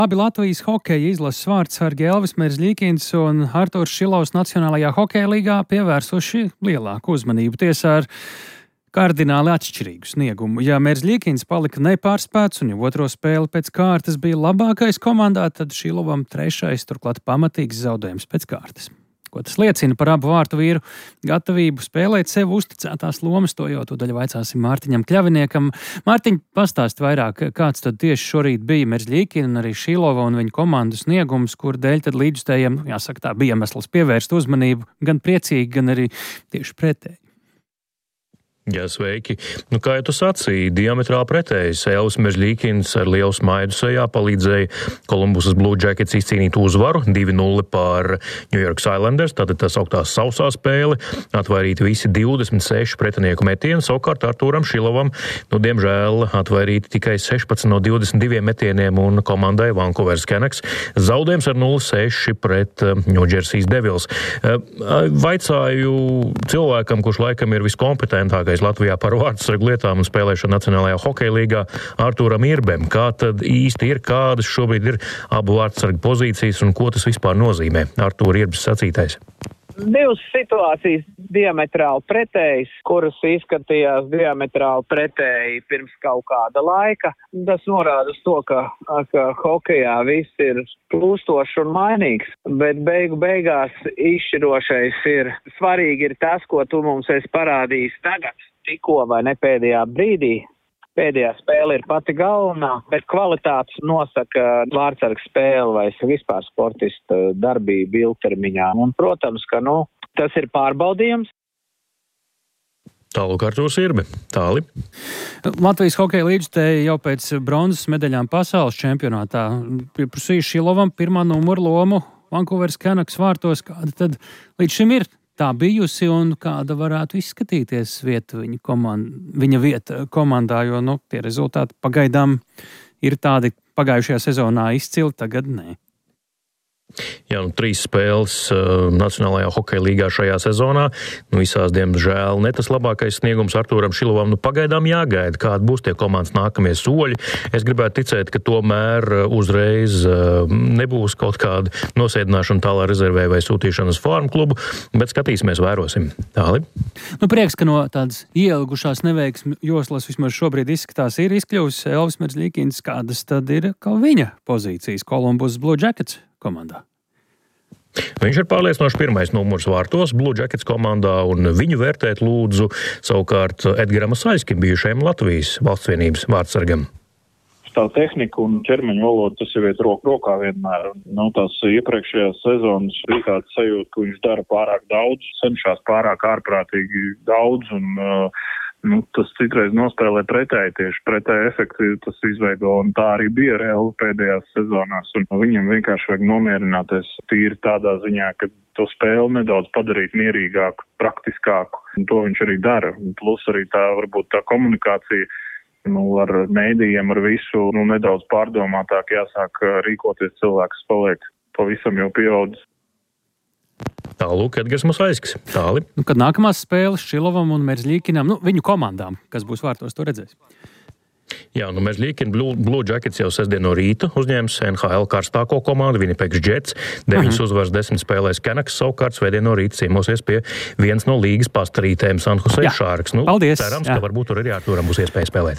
Abi Latvijas hokeja izlases vārdsargi Elvis Merzļikins un Arturs Šilovs Nacionālajā hokeja līgā pievērsuši lielāku uzmanību tiesā ar kardināli atšķirīgu sniegumu. Ja Merzļikins palika nepārspēts un jau otro spēli pēc kārtas bija labākais komandā, tad Šilovam trešais, turklāt pamatīgs zaudējums pēc kārtas. Ko tas liecina par abu vārtu vīru gatavību spēlēt sev uzticētās lomas, to jau tūdaļ vaicāsim Mārtiņam Kļaviniekam. Mārtiņ, pastāst vairāk, kāds tad tieši šorīt bija Merzļikina un arī Šilova un viņa komandu sniegums, kur dēļ tad līdzstējiem, jāsaka tā, bija iemesls pievērst uzmanību gan priecīgi, gan arī tieši pretēji. Jā, sveiki. Kā jau tu sacīji, diametrāli pretējs. Elvis Merzļikins ar lielu smaidu sejā palīdzēja Columbusas Blue Jackets izcīnīt uzvaru 2-0 pār New York Islanders, tātad tā sauktā sausā spēle, atvairīti visi 26 pretinieku metieni, savukārt Artūram Šilovam, diemžēl atvairīti tikai 16 no 22 metieniem un komandai Vancouver Canucks zaudējums ar 0-6 pret New Jersey Devils. Vaicāju cilvēkam, kurš laikam ir viskompetentākais Latvijā par vārdsargu lietām un spēlēšanu Nacionālajā hokeja līgā, Artūram Irbem. Kā tad īsti ir, kādas šobrīd ir abu vārdsargu pozīcijas un ko tas vispār nozīmē? Artūra Irbes sacītais. Divas situācijas diametrāli pretējas, kuras izskatījās diametrāli pretēji pirms kaut kāda laika. Tas norāda uz to, ka hokejā viss ir plūstošs un mainīgs, bet beigās izšķirošais ir. Svarīgi ir tas, ko tu mums esi parādījis tagad, tikko vai ne pēdējā brīdī. Pēdējā spēle ir pati galvenā, bet kvalitātes nosaka vārdsarga spēle vai vispār sportista darbība ilgtermiņā. Un, protams, ka tas ir pārbaudījums. Tālūk Artūrs Irbe. Tāli. Latvijas hokeja līdzstēja jau pēc bronzas medaļām pasaules čempionātā. Pieprasīja Šilovam pirmā numura lomu Vancouver Canucks vārtos. Kāda tad līdz šim ir tā bijusi un kāda varētu izskatīties viņa vieta komandā, jo tie rezultāti pagaidām ir tādi pagājušajā sezonā izcili, tagad nē. Jā, 3 spēles Nacionālajā hokeja līgā šajā sezonā. Visās, diemžēl, ne tas labākais sniegums Artūram Šilovam. Pagaidām jāgaida, kādi būs tie komandas nākamie soļi. Es gribētu ticēt, ka tomēr uzreiz nebūs kaut kāda nosēdināšana tālā rezervē vai sūtīšana uz farmu klubu, bet skatīsimies, vērosim. Tāli. Prieks, ka no tādas ielgušās neveiksmi joslas vismaz šobrīd izskatās ir izkļuvis Elvis Merzļikins. Kādas tad ir viņa pozīcijas Columbus Blue Jackets komandā? Viņš ir pārliecinoši pirmais numurs vārtos Blue Jackets komandā, un viņu vērtēt lūdzu savukārt Edgaram Asaļskim, bijušajam Latvijas valsts vienības vārdsargam. Tā tehnika un ķermeņa valoda, tas jau iet roku rokā vienmēr. Tās iepriekšējās sezonas bija tāds sajūta, ka viņš dara pārāk daudz, cenšas pārāk ārprātīgi daudz, un tas citreiz nospēlē pretēji, tieši pretēji efekti tas izveido, un tā arī bija reāli pēdējās sezonās. Un viņam vienkārši vajag nomierināties tīri tādā ziņā, ka to spēli nedaudz padarīt mierīgāku, praktiskāku, un to viņš arī dara. Plus arī varbūt tā komunikācija ar mēdījiem, ar visu, nedaudz pārdomātāk jāsāk rīkoties, cilvēks paliek pavisam jau pieaudzis. Tālūk, Edgars Asaļskis. Tāli. Kad nākamās spēles Šilovam un Merzļikinam, viņu komandām, kas būs vārtos, to redzēs? Jā, Merzļikina Blue Jackets jau sestdien no rīta uzņēmis NHL karstāko komandu, Winnipeg Jets, 9 uzvaras 10 spēlēs Canucks, savukārt svētdien no rīta ciemosies pie viens no līgas pastarītēm San Jose Sharks. Paldies! Cerams, ka varbūt tur arī Artūram būs iespēja spēlēt.